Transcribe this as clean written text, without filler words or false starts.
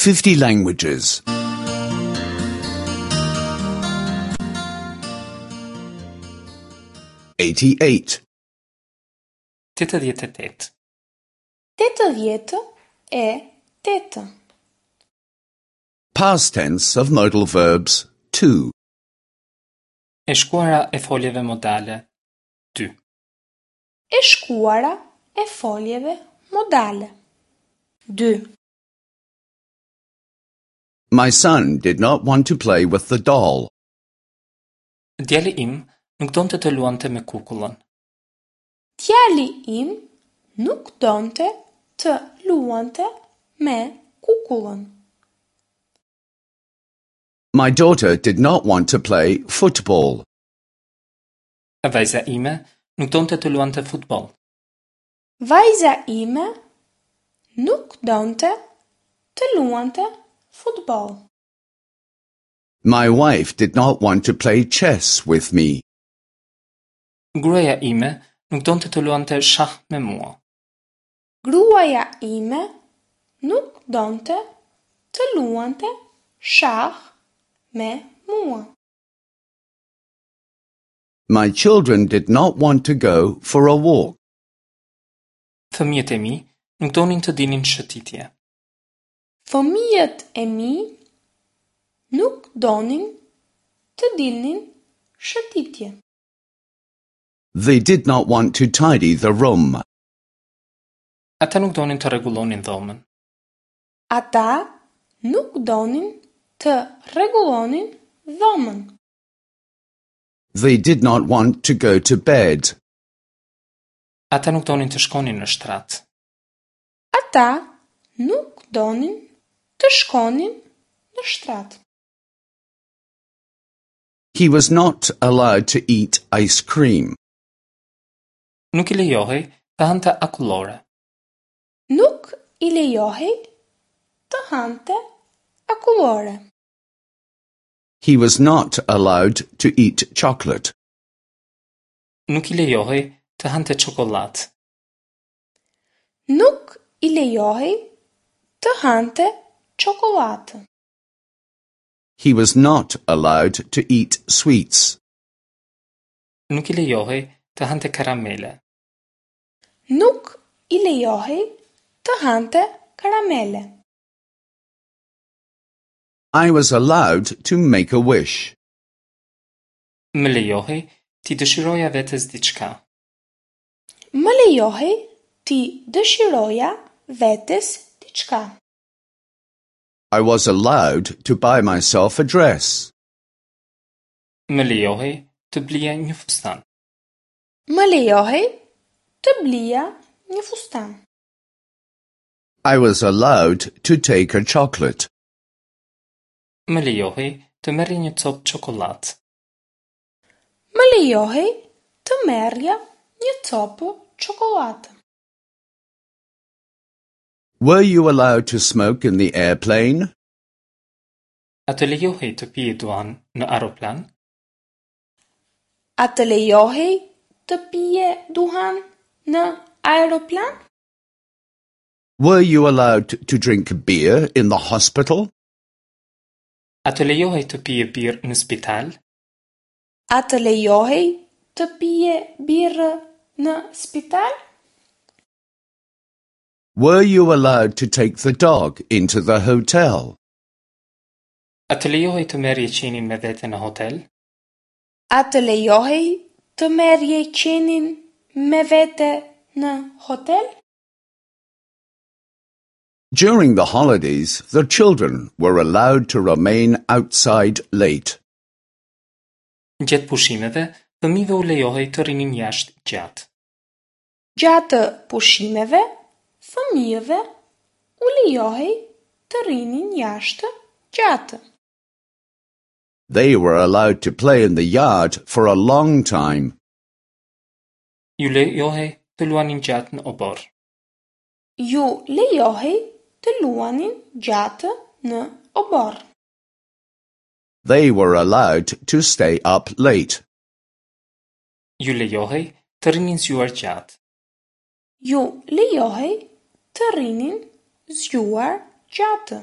50 languages. 88. 88. 88. Past tense of modal verbs 2. E shkuara e foljeve modale 2. E shkuara e foljeve modale. 2. My son did not want to play with the doll. Djali im nuk donte të luante me kukullën. Djali im nuk donte të luante me kukullën. My daughter did not want to play football. Vajza ime nuk donte të luante futboll. Vajza ime nuk donte të luante futboll. My wife did not want to play chess with me. Gruaja ime nuk donte të luante shah me mua. Gruaja ime nuk donte të luante shah me mua. My children did not want to go for a walk. Fëmijët e mi nuk donin të dilnin shëtitje. Fëmijët e mi nuk donin të dilnin shëtitje. They did not want to tidy the room. Ata nuk donin të rregullonin dhomën. Ata nuk donin të rregullonin dhomën. They did not want to go to bed. Ata nuk donin të shkonin në shtrat. Ata nuk donin të shkonin në shtrat. He was not allowed to eat ice cream. Nuk i lejohej të hante akullore. Nuk i lejohej të hante akullore. He was not allowed to eat chocolate. Nuk i lejohej të hante çokollatë. Nuk i lejohej të hante çokollatë. He was not allowed to eat sweets. Nuk i lejohej të hante karamele. Nuk i lejohej të hante karamele. I was allowed to make a wish. Më lejohej t'i dëshiroja vetes diçka. Më lejohej t'i dëshiroja vetes diçka. I was allowed to buy myself a dress. Më lejohej të blija një fustan. Më lejohej të blija një fustan. I was allowed to take a chocolate. Më lejohej të merrja një copë çokollatë. Më lejohej të merrja një copë çokollatë. Were you allowed to smoke in the airplane? A të lejohej të pije duhan në aeroplan? A të lejohej të pije duhan në aeroplan? Were you allowed to drink beer in the hospital? A të lejohej të pije birrë në spital? A të lejohej të pije birrë në spital? Were you allowed to take the dog into the hotel? A të lejohej të merrje qenin me vete në hotel? A të lejohej të merrje qenin me vete në hotel? During the holidays, the children were allowed to remain outside late. Gjatë pushimeve, fëmijëve u lejohej të rrinin jashtë gjatë. Gjatë pushimeve, fëmijëve u lejohej të rrinin jashtë gjatë. They were allowed to play in the yard for a long time. Ju lejohej të luanin gjatë në oborr. Ju lejohej të luanin gjatë në oborr. They were allowed to stay up late. Ju lejohej të rrinin zgjuar gjatë. Ju lejohej të rrinin zgjuar gjatë.